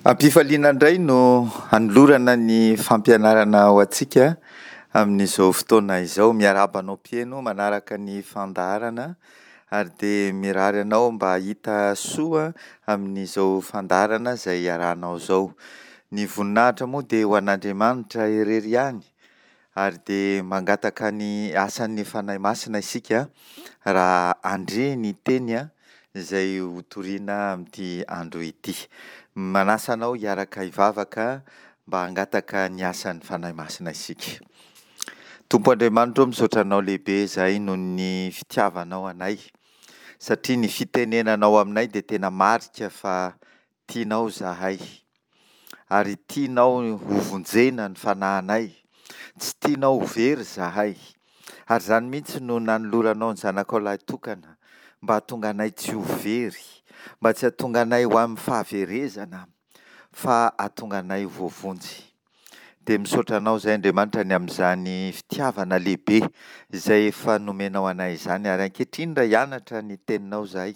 Am-pifaliana indray no hanolorana ny fampianarana ho antsika amin'izao fotoana izao. Miarahaba anao mpihaino manaraka ny fandaharana ary dia mirary anao mba hahita soa amin'izao fandaharana izay iarahanao izao. Ny voninahitra moa dia ho an'Andriamanitra irery ihany ary dia mangataka ny asan'ny Fanahy Masina isika raha handre ny teny izay hotorina amin'ity andro ity. Manasa anao hiaraka hivavaka mba hangataka ny asan'ny Fanahy Masina isika. Tompo Andriamanitro ô, misaotra Anao lehibe izahay noho ny fitiavanao anay, satria ny fitenenanao aminay dia tena marika fa tianao izahay, ary tianao hovonjena ny fanahinay, tsy tianao ho very izahay, ary izany mihitsy no nanoloranao ny Zanakao lahitokana mba hahatonga anay tsy ho very, mba tsy hahatonga anay ho amin'ny fahaverezana, fa hahatonga anay ho voavonjy. Dia misaotra Anao izahay Andriamanitra ny amin'izany fitiavana lehibe izay efa nomenao anay izany, ary ankehitriny raha hianatra ny Teninao izahay,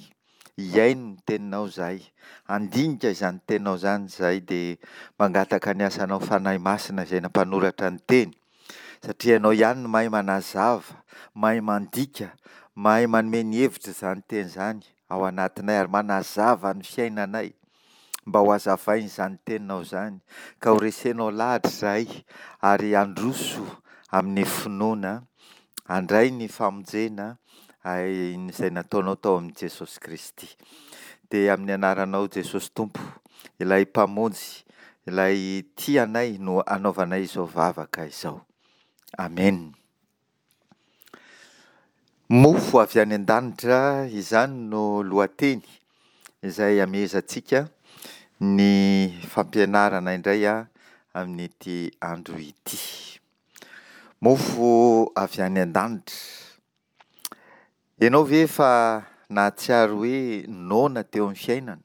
hihaino ny Teninao izahay, handinika izany Teninao izany izahay, dia mangataka ny asanao Fanahy Masina izay nampanoratra ny Teny, satria Ianao ihany no mahay manazava, mahay mandika, mahay manome ny hevitr'izany Teny izany ao anatinay ary manazava ny fiainanay mba ho hazavain'izany Teninao izany ka ho resenao lahatra izahay ary handroso amin'ny finoana, handray ny famonjena izay nataonao tao amin'i Jesosy Kristy. Dia amin'ny anaranao Jesosy Tompo, ilay Mpamonjy, ilay tia anay no anaovanay izao vavaka izao. Amena. Mofo avy any an-danitra, izany no lohateny izay amehezantsika ny fampianarana indray amin'ity andro ity. Mofo avy any an-danitra. Ianao ve efa nahatsiaro hoe noana teo amin'ny fiainana?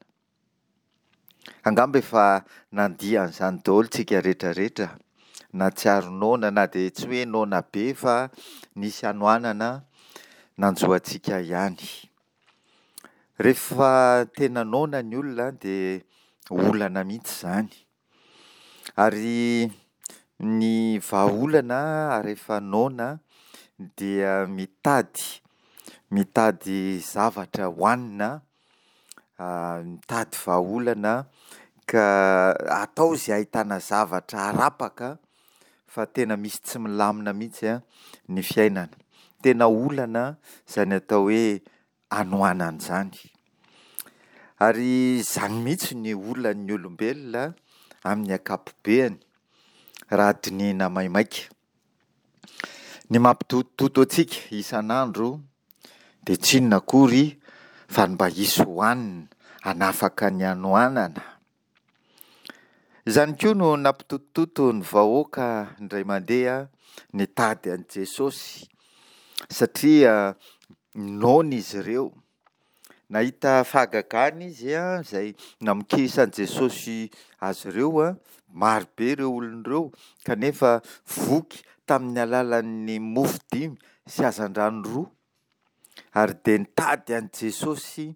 Angamba efa nandia an'izany daholo tsika rehetra rehetra, nahatsiaro noana na dia tsy hoe noana be fa nisy hanoanana nanjo antsika ihany. Rehefa tena noana ny olona dia olana mihitsy izany. Ary ny vahaolana rehefa noana dia mitady, mitady zavatra hohanina, mitady vahaolana ka atao izay ahitana zavatra harapaka fa tena misy tsy milamina mihitsy ny fiainana. Tena olana izany atao hoe hanoanana izany. Ary izany mihitsy ny olan'ny olombelona amin'ny ankapobeany raha dinihina maimaika. Ny mampitotototo antsika isan'andro dia tsy inona akory fa ny mba hisy hohanina hanafaka ny hanoanana. Izany koa no nampitotototo ny vahoaka indray mandeha nitady an'i Jesosy satria noana izy ireo. Nahita fahagagana izy izay namokisan'i Jesosy azy ireo, maro be ireo olona ireo kanefa voky tamin'ny alalan'ny mofo dimy sy hazandrano roa ary dia nitady an'i Jesosy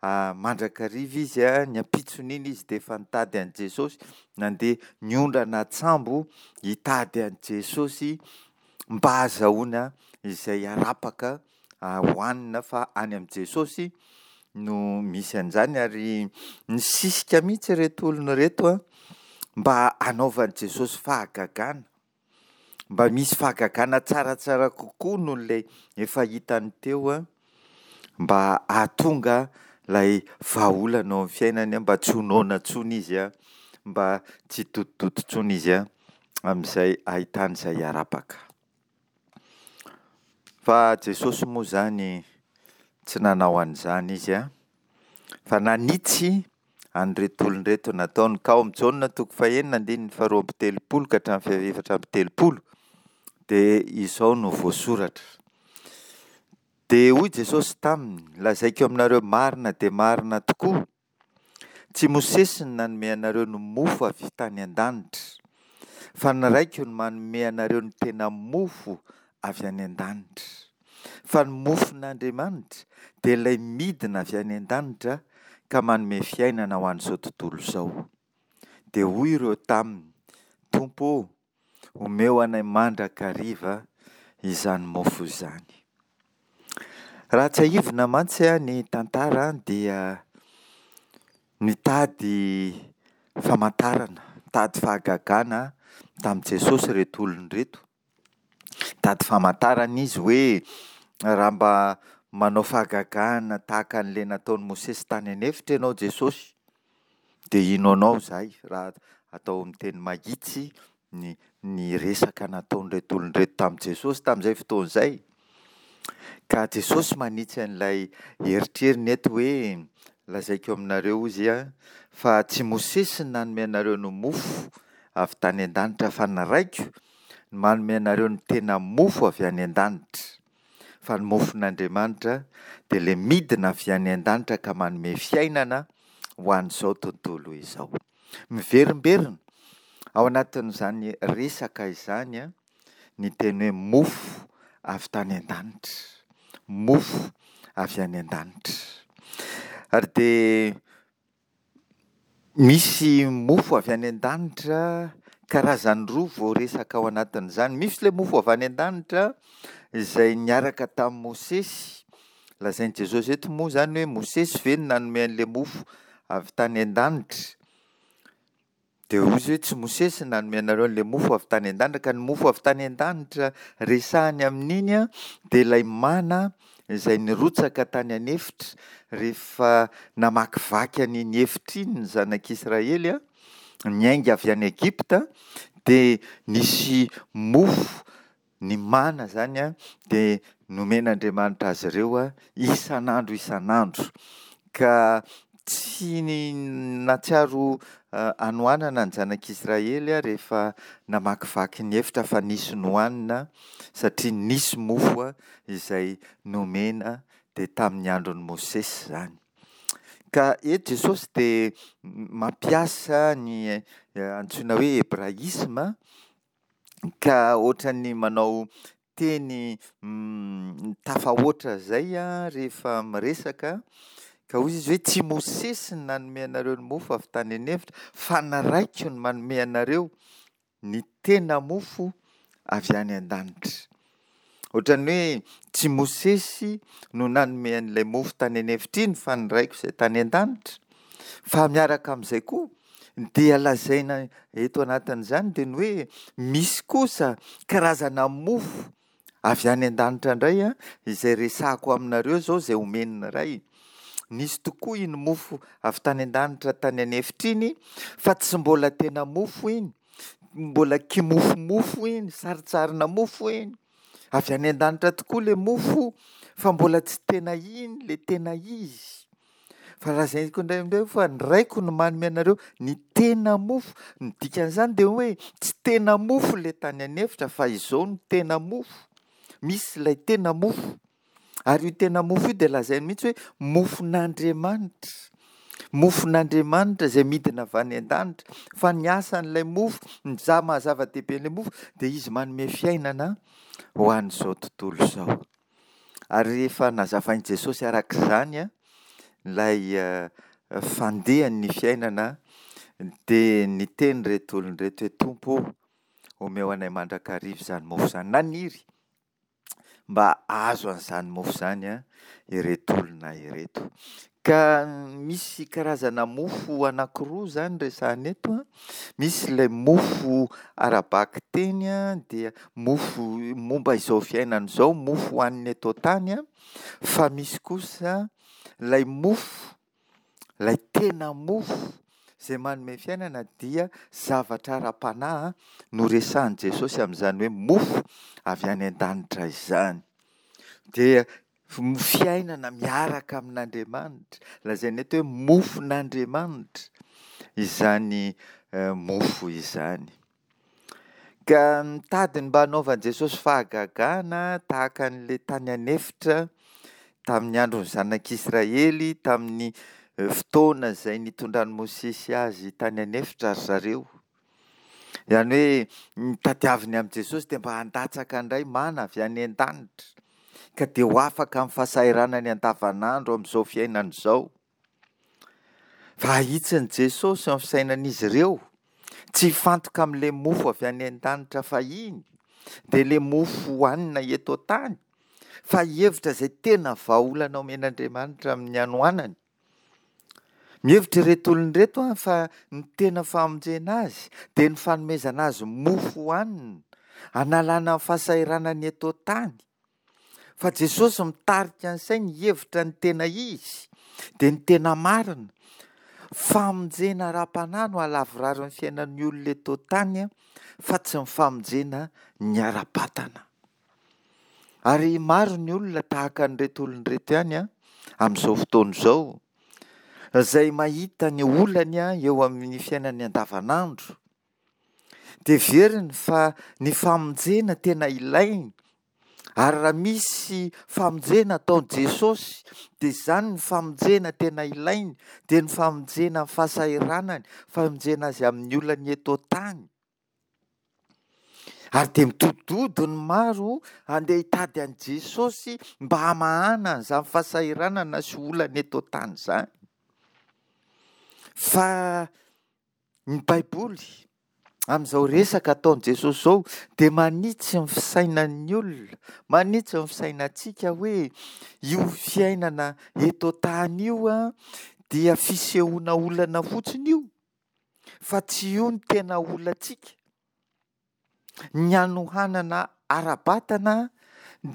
mandrakariva izy, ny ampitson'iny izy dia efa nitady an'i Jesosy, nandeha niondrana an-tsambo hitady an'i Jesosy mba hahazahoana izay harapaka hohanina fa any amin'i Jesosy no misy an'izany ary nisisika mihitsy ireto olona ireto mba hanaovan'i Jesosy fahagagana, mba misy fahagagana tsaratsara kokoa noho ilay efa hitany teo mba hahatonga ilay vahaolana ao amin'ny fiainany mba tsy ho noana intsony izy, mba tsy hitotitoto intsony izy amin'izay ahitany izay harapaka. Fa Jesosy moa izany tsy nanao an'izany Izy an, fa nanitsy an'ireto olona ireto nataony. Ka ao amin'ny Jaona toko fahenina andininy faharoa amby telopolo ka hatramin'ny fahaefatra amby telopolo dia izao no voasoratra. Dia hoy Jesosy taminy, lazaiko aminareo marina dia marina tokoa, Tsy Mosesy no nanome anareo ny mofo avy tany an-danitra, fa ny Raiko no manome anareo ny tena mofo avy any an-danitra. Fa ny mofon'Andriamanitra dia ilay midina avy any an-danitra ka manome fiainana ho an'izao tontolo izao. Dia hoy ireo taminy, Tompo ô, omeo anay mandrakariva izany mofo izany. Raha tsiahivina mantsy ny tantara dia nitady famantarana, nitady fahagagana tamin'i Jesosy ireto olona ireto. Nitady famantarana izy hoe raha mba manao fahagagana tahaka an'ilay nataon'i Mosesy tany an'efitra ianao Jesosy dia hino anao izahay, raha atao amin'ny teny mahitsy ny ny resaka nataon'ireto olona ireto tamin'i Jesosy tamin'izay fotoana izay. Ka Jesosy manitsy an'ilay eritreriny eto hoe lazaiko aminareo hozy fa tsy Mosesy no nanome anareo ny mofo avy tany an-danitra fa ny Raiko no manome anareo ny tena mofo avy any an-danitra. Fa ny mofon'Andriamanitra dia ilay midina avy any an-danitra ka manome fiainana ho an'izao tontolo izao. Miverimberina ao anatin'izany resaka izany ny teny hoe mofo avy tany an-danitra, mofo avy any an-danitra. Ary dia misy mofo avy any an-danitra karazany roa voaresaka ao anatin'izany. Misy ilay mofo avy any an-danitra izay niaraka tamin'i Mosesy. Lazain'i Jesosy eto moa izany hoe Mosesy ve no nanome an'ilay mofo avy tany an-danitra? Dia hoy izy hoe tsy Mosesy no nanome anareo an'ilay mofo avy tany an-danitra, ka ny mofo avy tany an-danitra resahany amin'iny dia ilay mana izay nirotsaka tany an'efitra rehefa namakivaky an'iny efitra iny ny zanak'Israely niainga avy any Egypta dia nisy mofo Ny mana izany dia nomen'Andriamanitra azy ireo isan'andro isan'andro. Ka tsy nahatsiaro hanoanana ny zanak'Israely rehefa namakivaky ny efitra fa nisy nohanina satria nisy mofo izay nomena dia tamin'ny andron'i Mosesy izany. Ka eto Jesosy dia mampiasa ny antsoina hoe hebraisma Ka ohatran'ny manao teny tafahoatra izay rehefa miresaka, ka hoy izy hoe tsy Mosesy no nanome anareo ny mofo avy tany an'efitra fa ny Raiko no manome anareo ny tena mofo avy any an-danitra. Ohatran'ny hoe tsy Mosesy no nanome an'ilay mofo tany an'efitra iny fa ny Raiko izay tany an-danitra. Fa miaraka amin'izay koa dia lazaina eto anatin'izany dia ny hoe misy kosa karazana mofo avy any an-danitra indray izay resahako aminareo izao izay omen'ny Ray. Nisy tokoa iny mofo avy tany an-danitra tany an'efitra iny fa tsy mbola tena mofo iny. Mbola kimofomofo iny, sarintsarina mofo iny. Avy any an-danitra tokoa ilay mofo fa mbola tsy tena iny ilay tena izy. Fa lazaiko indray indray fa ny Raiko no manome anareo ny tena mofo. Ny dikan'izany dia hoe tsy tena mofo ilay tany an'efitra fa izao no tena mofo. Misy ilay tena mofo. Ary io tena mofo io dia lazainy mihitsy hoe mofon'Andriamanitra. Mofon'Andriamanitra izay midina avy any an-danitra. Fa ny asan'ilay mofo, ny maha zava-dehibe an'ilay mofo dia izy manome fiainana ho an'izao tontolo izao. Ary rehefa nazavain'i Jesosy araka izany ilay fandehan'ny fiainana dia niteny ireto olona ireto hoe Tompo ô, omeo anay mandrakariva izany mofo izany. Naniry mba hahazo an'izany mofo izany ireto olona ireto. Ka misy karazana mofo anankiroa izany resahana eto an. Misy ilay mofo ara-bakiteny dia mofo momba izao fiainana izao, mofo hohanina eto an-tany fa misy kosa ilay mofo Ilay tena mofo izay manome fiainana dia zavatra ara-panahy no resahin'i Jesosy amin'izany hoe mofo avy any an-danitra izany. Dia fiainana miaraka amin'Andriamanitra, lazaina eto hoe mofon'Andriamanitra izany mofo izany. Ka nitady ny mba hanaovan'i Jesosy fahagagana tahaka an'ilay tany an'efitra tamin'ny andron'ny zanak'Israely, tamin'ny fotoana izay nitondran'i Mosesy azy tany an'efitra ry zareo. Izany hoe ny tadiaviny amin'i Jesosy dia mba handatsaka indray mana avy any an-danitra, ka dia ho afaka amin'ny fahasahiranany andavanandro amin'izao fiainana izao. Fa ahitsin'i Jesosy ny fisainan'izy ireo. Tsy hifantoka amin'ilay mofo avy any an-danitra fahiny, dia ilay mofo hohanina eto an-tany, fa hihevitra izay tena vahaolana omen'Andriamanitra amin'ny hanoanany. Mihevitra ireto olona ireto fa ny tena famonjena azy dia ny fanomezana azy mofo hohanina, hanalana ny fahasahiranany eto an-tany. Fa Jesosy mitarika ny sainy hihevitra ny tena izy, dia ny tena marina. Famonjena ara-panahy no hahalavorary ny fiainan'ny olona eto an-tany fa tsy ny famonjena ny ara-batana. Ary maro ny olona tahaka an'ireto olona ireto ihany amin'izao fotoana izao, izay mahita ny olany eo amin'ny fiainany andavanandro, dia heveriny fa ny famonjena tena ilainy, ary raha misy famonjena ataon'i Jesosy, dia izany ny famonjena tena ilainy, dia ny famonjena amin'ny fahasahiranany, famonjena azy amin'ny olany eto an-tany. Ary dia midodododo ny maro handeha hitady an'i Jesosy mba hamahana an'izany fahasahiranana sy olana eto an-tany izany. Fa ny Baiboly amin'izao resaka ataon'i Jesosy izao dia manitsy ny fisainan'ny olona, manitsy ny fisainantsika hoe io fiainana eto an-tany io dia fisehoana olana fotsiny io. Fa tsy io no tena olantsika. Ny hanohanana ara-batana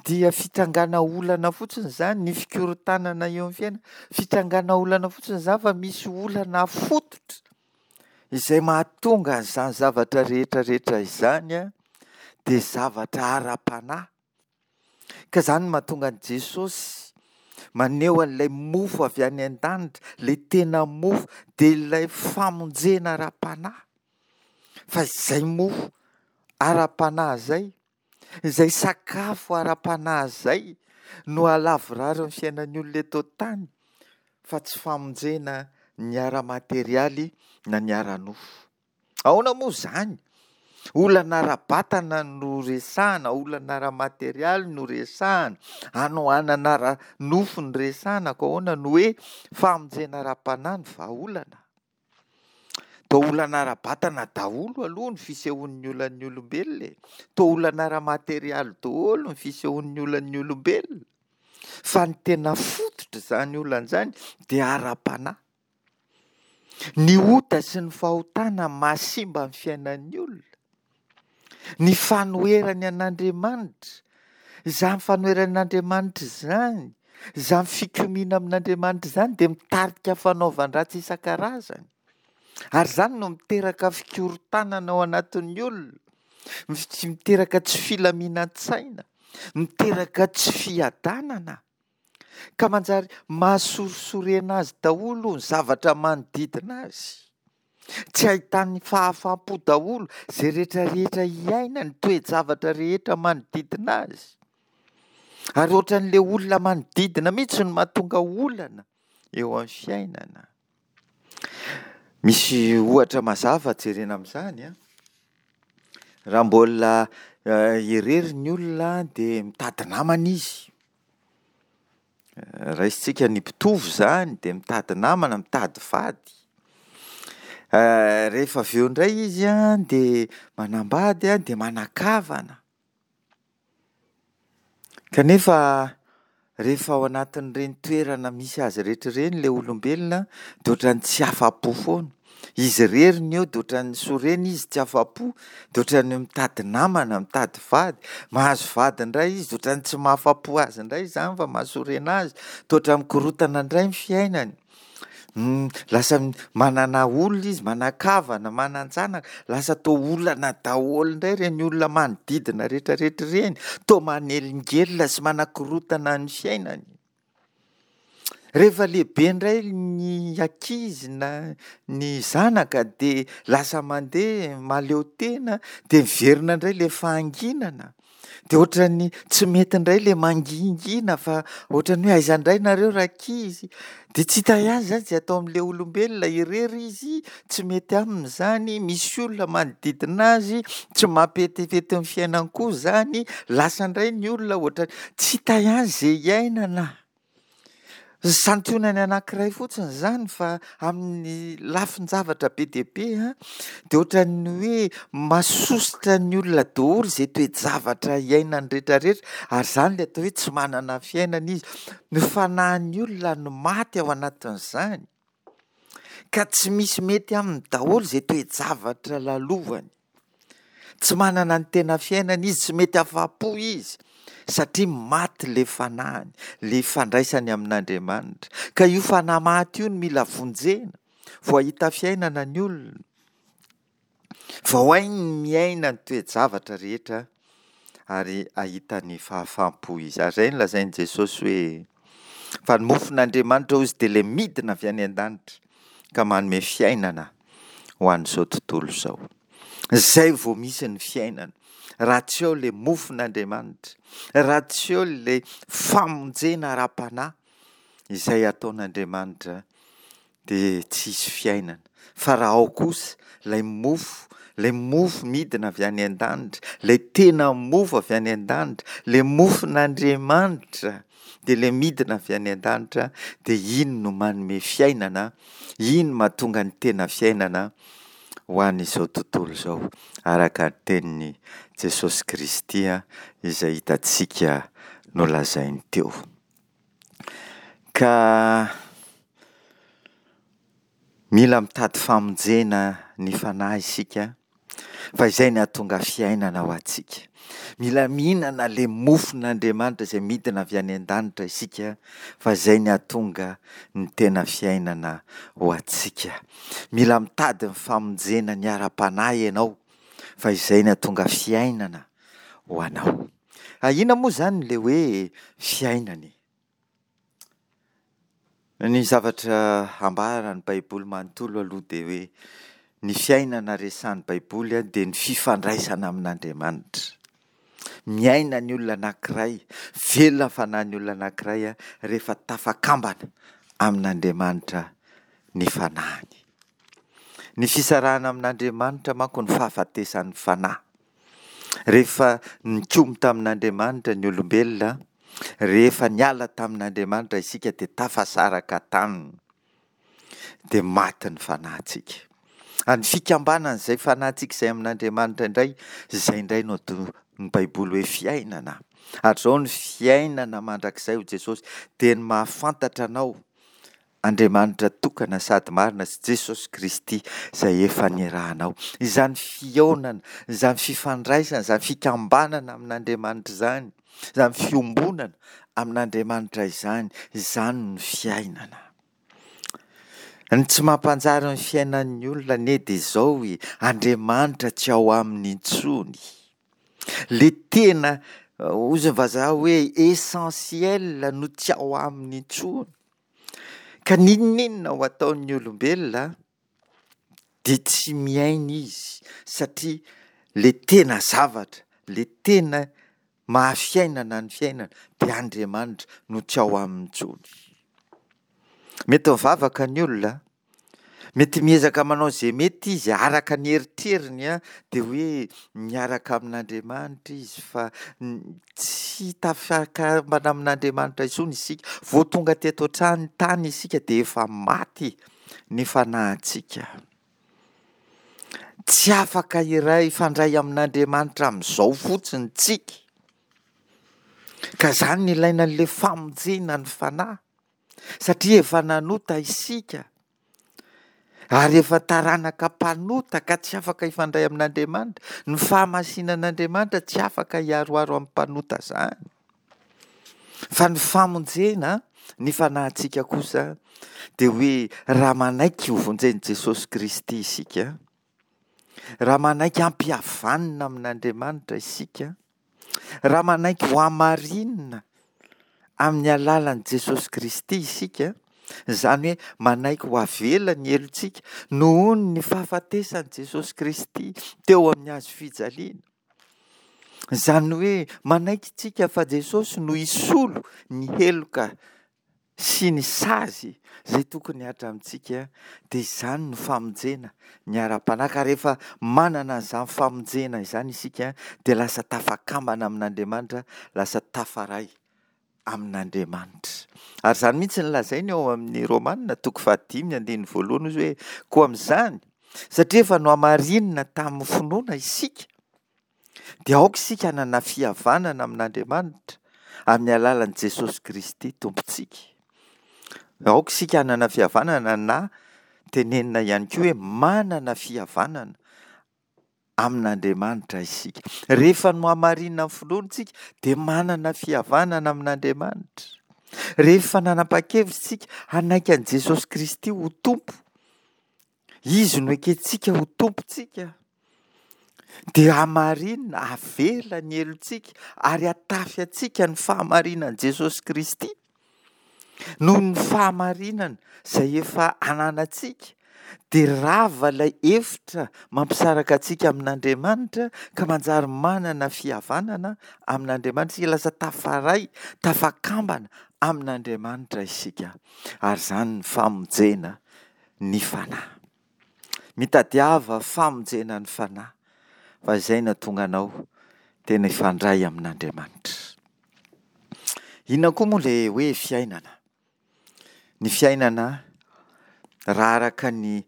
dia fitrangana olana fotsiny izany, ny fikorontanana eo amin'ny fiainana, fitrangana olana fotsiny izany fa misy olana fototra izay mahatonga an'izany zavatra rehetra rehetra izany dia zavatra ara-panahy. Ka izany no mahatonga an'i Jesosy maneho an'ilay mofo avy any an-danitra, ilay tena mofo, dia ilay famonjena ara-panahy. Fa izay mofo ara-panahy izay, izay sakafo ara-panahy izay no hahalavorary ny fiainan'ny olona eto an-tany, fa tsy famonjena ny ara-materialy na ny ara-nofo. Ahoana moa izany? Olana ara-batana no resahana, olana ara-materialy no resahana, hanoanana ara-nofo no resahana, koa ahoana no hoe famonjena ara-panahy no vahaolana? Toa olana ara-batana daholo aloha ny fisehoan'ny olan'ny olombelona e! Toa olana ara-materialy daholo ny fisehoan'ny olan'ny olombelona. Fa ny tena fototr'izany olana izany dia ara-panahy. Ny ota sy ny fahotana mahasimba ny fiainan'ny olona. Ny fanoherany an'Andriamanitra, izany fanoherany an'Andriamanitra izany, izany fikomiana amin'Andriamanitra izany dia mitarika fanaovan-dratsy isan-karazany. Ary izany no miteraka fikorontanana ao anatin'ny olona, miteraka tsy filaminan-tsaina, miteraka tsy fiadanana. Ka manjary mahasorisorena azy daholo ny zavatra manodidina azy. Tsy ahitany fahafaham-po daholo izay rehetra rehetra iainany, toe-javatra rehetra manodidina azy. Ary ohatran'ilay olona manodidina mihitsy no mahatonga olana eo amin'ny fiainana. Misy ohatra mazava jerena amin'izany an. Raha mbola irery ny olona dia mitady namana izy. Raisintsika ny mpitovo izany dia mitady namana, mitady vady. Rehefa avy eo indray izy an dia manambady an, dia manan-kavana. Kanefa rehefa ao anatin'ireny toerana misy azy rehetra ireny ilay olombelona dia ohatran'ny tsy afa-po foana. Izy irery no eo dia ohatran'ny sorena izy tsy afa-po, dia ohatran'ny mitady namana, mitady vady. Mahazo vady indray izy dia ohatran'ny tsy mahafa-po azy indray izany fa mahasorena azy. Toa ohatran'ny mikorontana indray ny fiainany. Lasa manana olona izy, manan-kavana, manan-janaka, lasa toa olana daholo indray ireny olona manodidina rehetrarehetra ireny, toa manelingelina sy manakorontana ny fiainany. Rehefa lehibe indray ny ankizy na ny zanaka dia lasa mandeha mahaleo tena dia miverina indray ilay fahanginana. Dia ohatran'ny tsy mety indray ilay mangingina fa ohatran'ny hoe aiza indray nareo rankizy? Dia tsy hita ihany izany izay atao amin'ilay olombelona, irery izy, tsy mety aminy izany, misy olona manodidina azy, tsy mampetifety ny fiainany koa izany, lasa indray ny olona ohatran'ny tsy hita ihany izay iainana. Santionany anankiray fotsiny izany fa amin'ny lafin-javatra be dia be dia ohatran'ny hoe masosotra ny olona daholo izay toe-javatra iainany rehetrarehetra ary izany ilay atao hoe tsy manana fiainana izy. Ny fanahin'ny olona no maty ao anatin'izany ka tsy misy mety aminy daholo izay toe-javatra lalovany. Tsy manana ny tena fiainana izy, tsy mety afa-po izy satria maty ilay fanahiny, ilay ifandraisany amin'Andriamanitra. Ka io fanahy maty io no mila vonjena vao hahita fiainana ny olona, vao hainy ny miaina ny toe-javatra rehetra ary hahita ny fahafaham-po izy. Ary izay no lazain'i Jesosy hoe, fa ny mofon'Andriamanitra hozy dia ilay midina avy any an-danitra ka manome fiainana ho an'izao tontolo izao. Izay vao misy ny fiainana. Raha tsy eo ilay mofon'Andriamanitra, raha tsy eo ilay famonjena ara-panahy izay ataon'Andriamanitra dia tsy hisy fiainana. Fa raha ao kosa ilay mofo, ilay mofo midina avy any an-danitra, ilay tena mofo avy any an-danitra, ilay mofon'Andriamanitra dia ilay midina avy any an-danitra dia iny no manome fiainana, iny mahatonga ny tena fiainana ho an'izao tontolo izao, araka ny tenin'i Jesosy Kristy izay hitantsika nolazainy teo. Ka mila mitady famonjena ny fanahy isika fa izay ny hahatonga fiainana ho antsika. Mila mihinana ilay mofon'Andriamanitra izay midina avy any an-danitra isika fa izay ny hahatonga ny tena fiainana ho antsika. Mila mitady ny famonjena ny ara-panahy ianao fa izay ny hahatonga fiainana ho anao. Inona moa izany ilay hoe fiainana e? Ny zavatra ambaran'ny Baiboly manontolo aloha dia hoe ny fiainana resahan'ny Baiboly dia ny fifandraisana amin'Andriamanitra. Miaina ny olona anankiray, velona ny fanahin'ny olona anankiray rehefa tafakambana amin'Andriamanitra ny fanahiny. Ny fisarahana amin'Andriamanitra manko ny fahafatesan'ny fanahy. Rehefa nikomy tamin'Andriamanitra ny olombelona, rehefa niala tamin'Andriamanitra isika dia tafasaraka taminy, dia maty ny fanahintsika. Ary ny fikambanan'izay fanahintsika izay amin'Andriamanitra indray, izay indray no ataon'ny Baiboly hoe fiainana. Ary izao ny fiainana mandrakizay hoy Jesosy, dia ny mahafantatra anao Andriamanitra tokana sady marina sy Jesosy Kristy izay efa nirahanao. Izany fihaonana, izany fifandraisana, izany fikambanana amin'Andriamanitra izany, izany fiombonana amin'Andriamanitra izany, izany no fiainana. Ny tsy mampanjary ny fiainan'ny olona anie dia izao e, Andriamanitra tsy ao aminy intsony. Le tena, hozy ny vazaha hoe essentiel no tsy ao aminy intsony. Ka n'inon'inona ho ataon'ny olombelona dia tsy miaina izy satria le tena zavatra, le tena maha-fiainana ny fiainana dia Andriamanitra no tsy ao aminy intsony. Mety mivavaka ny olona Mety miezaka manao izay mety izy araka ny eritreriny dia hoe miaraka amin'Andriamanitra izy fa tsy tafakambana amin'Andriamanitra intsony isika. Vao tonga teto an-trano tany isika dia efa maty ny fanahintsika. Tsy afaka iray hifandray amin'Andriamanitra amin'izao fotsiny tsika. Ka izany no ilaina an'ilay famonjena ny fanahy. Satria efa nanota isika ary efa taranaka mpanota ka tsy afaka hifandray amin'Andriamanitra. Ny fahamasinan'Andriamanitra tsy afaka hiharoharo amin'ny mpanota izany. Fa ny famonjena ny fanahintsika kosa dia hoe raha manaiky ho vonjen'i Jesosy Kristy isika, raha manaiky hampihavanina amin'Andriamanitra isika, Raha manaiky ho hamarinina amin'ny alalan'i Jesosy Kristy isika, izany hoe manaiky ho avela ny helotsika noho ny fahafatesan'i Jesosy Kristy teo amin'ny hazo fijaliana, izany hoe manaiky isika fa Jesosy no hisolo ny heloka sy ny sazy izay tokony hihatra amintsika dia izany no famonjena ny ara-panahy ka rehefa manana an'izany famonjena izany isika dia lasa tafakambana amin'Andriamanitra, lasa tafaray. amin'Andriamanitra. Ary izany mihitsy no lazainy ao amin'ny Romana toko fahadimy andininy voalohany hozy hoe koa amin'izany satria efa nohamarinina tamin'ny finoana isika dia aoka isika hanana fihavanana amin'Andriamanitra amin'ny alalan'i Jesosy Kristy Tompontsika. Aoka isika hanana fihavanana na tenenina ihany koa hoe manana fihavanana amin'Andriamanitra isika. Rehefa nohamarinina ny finoana isika dia manana fihavanana amin'Andriamanitra. Rehefa nanapa-kevitra isika hanaiky an'i Jesosy Kristy ho Tompo, Izy no ekentsika ho Tompontsika, dia hamarinina, avela ny helotsika ary hatafy antsika ny fahamarinan'i Jesosy Kristy. Noho ny fahamarinana izay efa ananantsika dia rava ilay efitra mampisaraka antsika amin'Andriamanitra ka manjary manana fihavanana amin'Andriamanitra isika, lasa tafaray, tafakambana amin'Andriamanitra isika ary izany ny famonjena ny fanahy. Mitadiava famonjena ny fanahy fa izay no hahatonga anao tena hifandray amin'Andriamanitra. Inona koa moa ilay hoe fiainana? Ny fiainana raha araka ny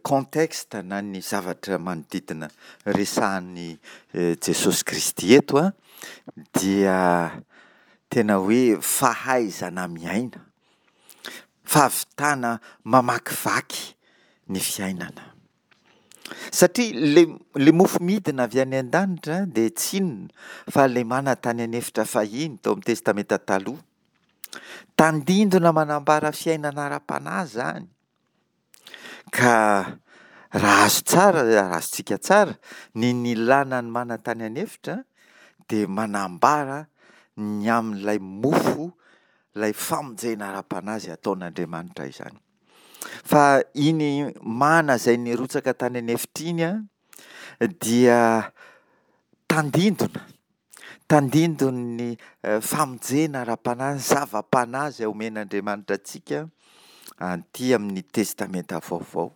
contexte na ny zavatra manodidina resahan'i Jesosy Kristy eto an, dia tena hoe fahaizana miaina, fahavitana mamakivaky ny fiainana. Satria le le mofo midina avy any an-danitra dia tsy inona fa ilay mana tany an'efitra fahiny tao amin'ny Testamenta Taloha. Tandindona manambara fiainana ara-panahy izany. Ka raha azo tsara, raha azontsika tsara ny nilana ny mana tany an'efitra dia manambara ny amin'ilay mofo, ilay famonjena ara-panahy izay ataon'Andriamanitra izany. Fa iny mana izay nirotsaka tany an'efitra iny dia tandindona, tandindon'ny famonjena ara-panahy, ny zava-panahy izay omen'Andriamanitra antsika aty amin'ny Testamenta Vaovao.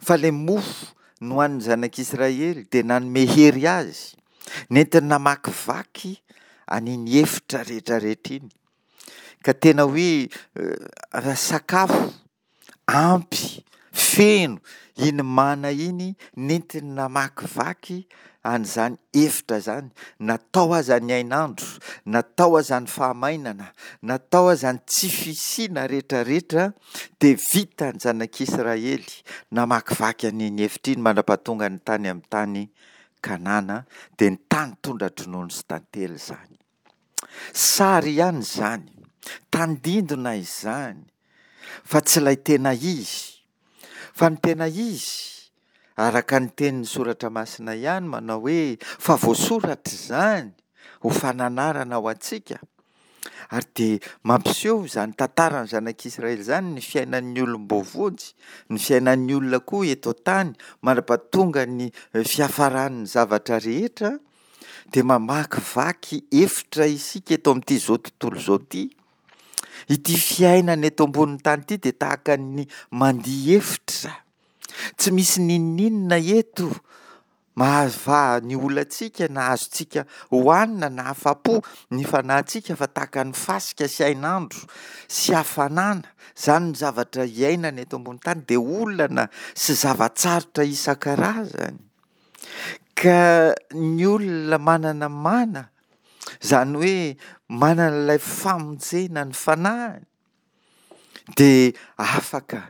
Fa ilay mofo nohanin'ny zanak'Israely dia nanome hery azy, nentiny namakivaky an'iny efitra rehetrarehetra iny. Ka tena hoe raha sakafo ampy, feno iny mana iny nentiny namakivaky an'izany efitra izany, na tao aza ny hainandro, na tao aza ny fahamainana, na tao aza ny tsy fisiana rehetrarehetra dia vitan'ny zanak'Israely namakivaky an'iny efitra iny mandra-pahatongany tany amin'ny tany Kanana, dia ny tany tondra-dronono sy tantely izany. Sary ihany izany, tandindona izany, fa tsy ilay tena izy. Fa ny tena izy, araka ny tenin'ny Soratra Masina ihany manao hoe, fa voasoratra izany ho fananarana ho antsika. Ary dia mampiseho izany tantaran'ny zanak'Israely izany ny fiainan'ny olom-boavonjy, ny fiainan'ny olona koa eto an-tany mandra-pahatonga ny fiafaran'ny zavatra rehetra. dia mamakivaky efitra isika eto amin'ity izao tontolo izao ity. Ity fiainana eto ambonin'ny tany ity dia tahaka ny mandia efitra. Tsy misy n'inon'inona eto mahavaha ny olantsika na azontsika hohanina na afa-po ny fanahintsika fa tahaka ny fasika sy hainandro sy hafanana. Izany ny zavatra iainana eto ambonin'ny tany dia olana sy zava-tsarotra isan-karazany. Ka ny olona manana mana, izany hoe manana ilay famonjena ny fanahiny, dia afaka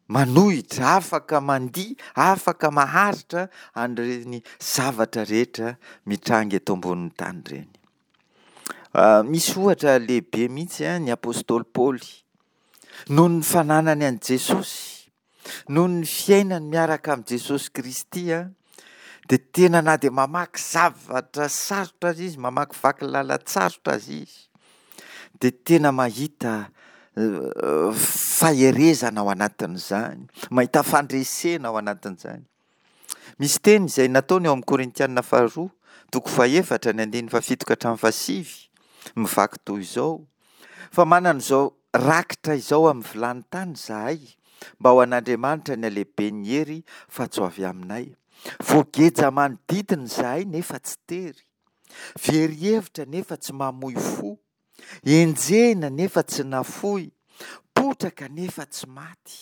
manohitra, afaka mandia, afaka maharitra an'ireny zavatra rehetra mitranga eto ambonin'ny tany ireny. Misy ohatra lehibe mihitsy ny apostoly Paoly, noho ny fananany an'i Jesosy, Noho ny fiainany miaraka amin'i Jesosy Kristy dia tena na dia mamaky zavatra sarotra aza izy, mamakivaky lalan-tsarotra aza izy, dia tena mahita faherezana ao anatin'izany, mahita fandresena ao anatin'izany. Misy teny izay nataony ao amin'ny Korintiana faharoa, toko fahefatra, ny andininy fahafito ka hatramin'ny fahasivy, mivaky toy izao, Fa manana izao rakitra izao amin'ny vilany tany izahay, mba ho an'Andriamanitra ny halehiben'ny hery fa tsy ho avy aminay. Voageja manodidina izahay nefa tsy tery. Very hevitra nefa tsy mamoy fo. Enjehina nefa tsy nafoy. Potraka nefa tsy maty.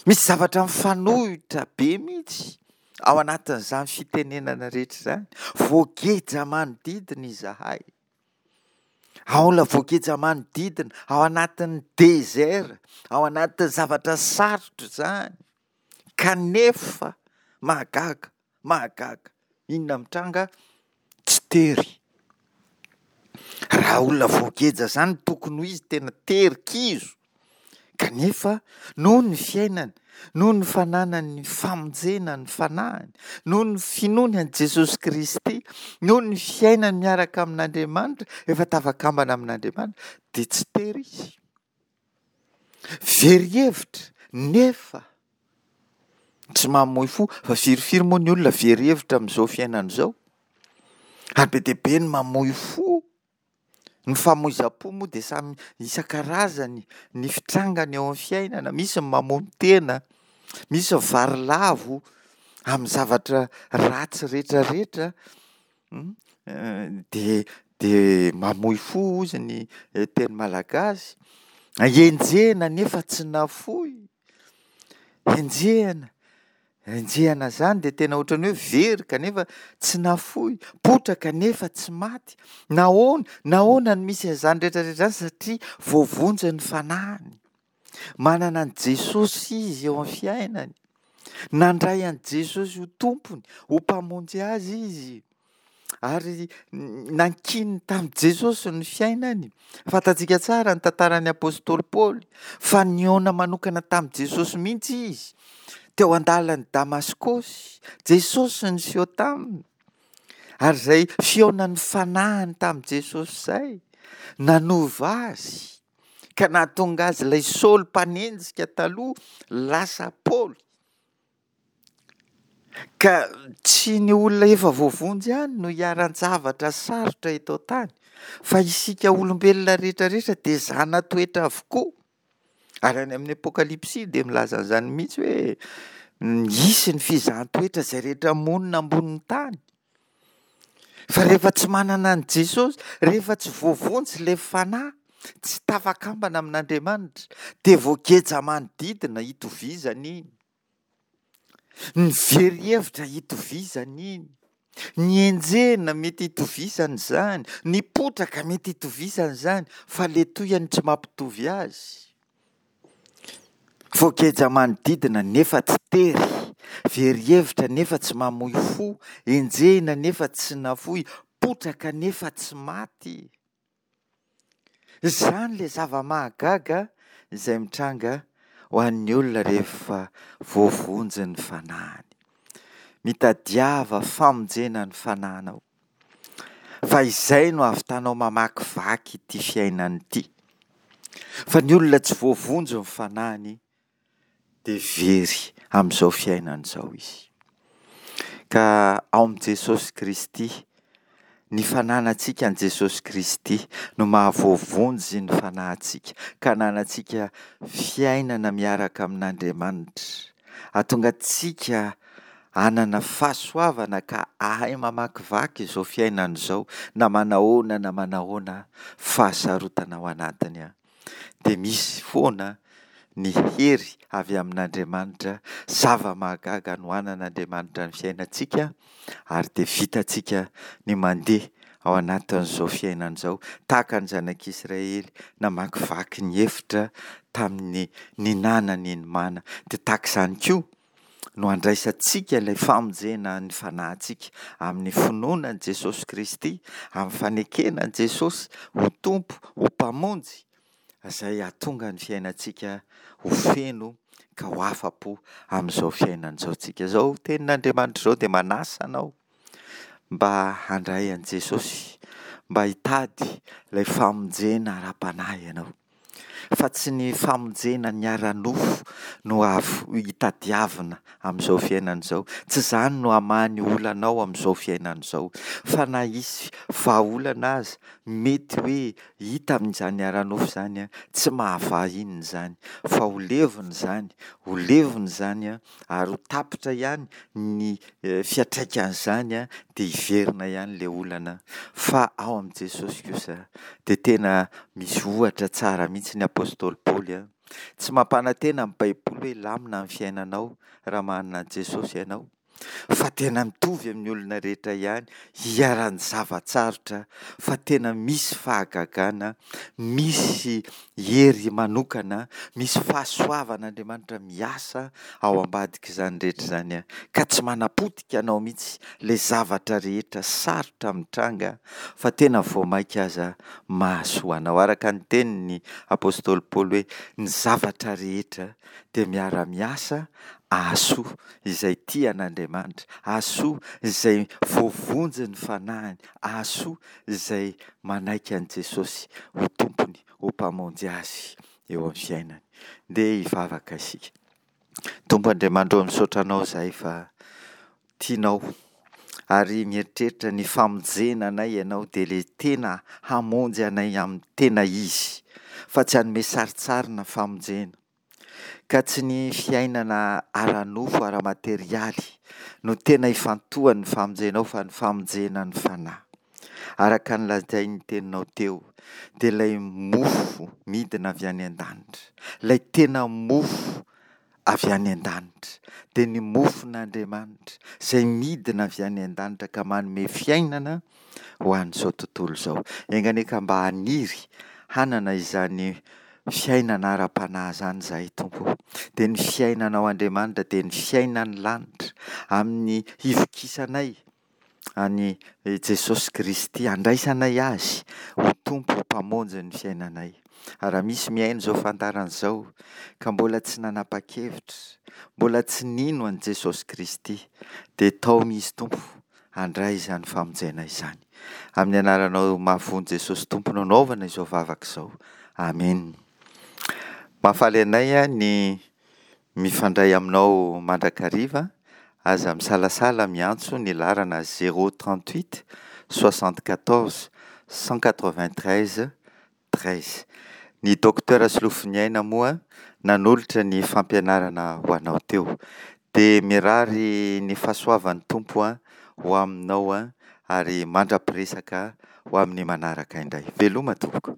Misy zavatra mifanohitra be mihitsy ao anatin'izany fitenenana rehetra izany. Voageja manodidina izahay. Aola voageja manodidina, ao anatin'ny désert, ao anatin'ny zavatra sarotra izany. Kanefa mahagaga, mahagaga. Inona mitranga? Tsy tery. Raha olona voageja izany tokony ho izy tena tery kizo. Kanefa noho ny fiainany, noho ny fananany ny famonjena ny fanahiny, noho ny finoany an'i Jesosy Kristy, noho ny fiainany miaraka amin'Andriamanitra, efa tafakambana amin'Andriamanitra, dia tsy tery izy. Very hevitra, nefa tsy mamoy fo. Fa firifiry moa ny olona very hevitra amin'izao fiainana izao? Ary be dia be ny mamoy fo. Ny famoizam-po moa dia samy isan-karazany ny fitrangany eo amin'ny fiainana. Misy ny mamono tena, misy ny varilavo amin'ny zavatra ratsy rehetrarehetra. Dia dia mamoy fo hozy ny teny malagasy. Enjehina nefa tsy nafoy. Enjehina. Enjehina izany dia tena ohatran'ny hoe very kanefa tsy nafoy, potraka nefa tsy maty. Nahoana? Nahoana no misy an'izany rehetra rehetra izany? Satria voavonjy ny fanahiny. Manana an'i Jesosy izy eo amin'ny fiainany. Nandray an'i Jesosy ho Tompony, ho Mpamonjy azy izy. Ary nankininy tamin'i Jesosy ny fiainany. Fantatsika tsara ny tantaran'ny apostoly Paoly fa nihaona manokana tamin'i Jesosy mihitsy izy teo an-dalan'i Damaskosy. Jesosy niseho taminy. Ary izay fihaonan'ny fanahiny tamin'i Jesosy izay nanova azy ka nahatonga azy ilay Saoly mpanenjika taloha lasa Paoly. Ka tsy ny olona efa voavonjy ihany no iharan-javatra sarotra eto an-tany, fa isika olombelona rehetra rehetra dia zana-toetra avokoa. Ary any amin'ny Apokalypsy dia milaza an'izany mihitsy hoe hisy ny fizahan-toetra izay rehetra monina ambonin'ny tany. Fa rehefa tsy manana an'i Jesosy, rehefa tsy voavonjy ilay fanahy, tsy tafakambana amin'Andriamanitra, dia voageja manodidina hitovizana iny. Ny very hevitra hitovizana iny, ny enjehina mety hitovizana izany, ny potraka mety hitovizana izany, fa le tohiny tsy mampitovy azy. Voageja manodidina nefa tsy tery, very hevitra nefa tsy mamoy fo, enjehina nefa tsy nafoy, potraka nefa tsy maty. Izany ilay zava-mahagaga izay mitranga ho an'ny olona rehefa voavonjy ny fanahiny. Mitadiava famonjena ny fanahinao, fa izay no ahavitanao mamakivaky ity fiainana ity. Fa ny olona tsy voavonjy ny fanahiny dia very amin'izao fiainana izao izy. Ka ao amin'i Jesosy Kristy, ny fananantsika an'i Jesosy Kristy no mahavoavonjy ny fanahintsika, ka ananantsika fiainana miaraka amin'Andriamanitra. Hahatonga antsika hanana fahasoavana ka hahay mamakivaky izao fiainana izao, na manahoana na manahoana fahasarotana ao anatiny. dia misy foana ny hery avy amin'Andriamanitra, zava-mahagaga anohanan'Andriamanitra ny fiainantsika ary dia vitantsika ny mandeha ao anatin'izao fiainana izao tahaka ny zanak'Israely namakivaky ny efitra tamin'ny ninanany ny mana. Dia tahaka izany koa no andraisantsika ilay famonjena ny fanahintsika amin'ny finoana an'i Jesosy Kristy, amin'ny fanekena an'i Jesosy ho Tompo, ho Mpamonjy, izay hahatonga ny fiainantsika ho feno ka ho afa-po amin'izao fiainana izao tsika. Izao tenin'Andriamanitra izao dia manasa anao mba handray an'i Jesosy, mba hitady ilay famonjena ara-panahy ianao. Fa tsy ny famonjena ny ara-nofo no hitadiavina amin'izao fiainana izao. Tsy izany no hamaha ny olanao amin'izao fiainana izao. Fa na hisy vahaolana aza mety hoe hita amin'izany ara-nofo izany, tsy mahavaha inona izany fa ho levona izany, ho levona izany ary ho tapitra ihany ny fiantraikan'izany dia hiverina ihany ilay olana fa ao amin'i Jesosy kosa dia tena misy ohatra tsara mihitsy ny apostoly Paoly a. Tsy mampanantena ny baiboly hoe hilamina ny fiainanao raha manana an'i Jesosy ianao fa tena mitovy amin'ny olona rehetra ihany, iharan'ny zava-tsarotra fa tena misy fahagagana, misy hery manokana, misy fahasoavan'Andriamanitra miasa ao ambadik'izany rehetra izany ka tsy manapotika anao mihitsy ilay zavatra rehetra sarotra mitranga fa tena vao mainka aza mahasoa anao. Araka ny tenin'ny apostoly Paoly hoe ny zavatra rehetra dia miara-miasa hahasoa izay tia an'Andriamanitra, hahasoa izay voavonjy ny fanahiny, hahasoa izay manaiky an'i Jesosy ho Tompony, ho Mpamonjy azy eo amin'ny fiainany. Ndeha hivavaka isika. Tompo Andriamanitra ô, misaotra Anao izahay fa tianao ary mieritreritra ny famonjena anay Ianao dia ilay tena hamonjy anay amin'ny tena izy fa tsy hanome sarintsarina famonjena. Ka tsy ny fiainana ara-nofo, ara-materialy no tena ifantohan'ny famonjenao fa ny famonjena ny fanahy. Araka ny lazain'ny teninao teo dia ilay mofo midina avy any an-danitra, ilay tena mofo avy any an-danitra, dia ny mofon'Andriamanitra izay midina avy any an-danitra ka manome fiainana ho an'izao tontolo izao. Enga anie ka mba haniry hanana izany fiainana ara-panahy izany izahay Tompo ô. Dia ny fiainanao Andriamanitra dia ny fiainan'ny lanitra amin'ny hivokisanay an'i Jesosy Kristy, handraisanay Azy ho Tompo Mpamonjy ny fiainanay. Ary raha misy mihaino izao fandaharana izao ka mbola tsy nanapa-kevitra, mbola tsy nino an'i Jesosy Kristy, dia taomy Izy Tompo handray izany famonjena izany. Amin'ny anaranao mahavonjy Jesosy Tompo no anaovana izao vavaka izao. Amen. Mahafaly anay ny mifandray aminao mandrakariva. Aza misalasala miantso ny laharana 038 74 193 13. Ny Docteur Solofoniaina moa nanolotra ny fampianarana ho anao teo. Dia mirary ny fahasoavan'ny Tompo ho aminao ary mandra-piresaka ho amin'ny manaraka indray. Veloma tompoko.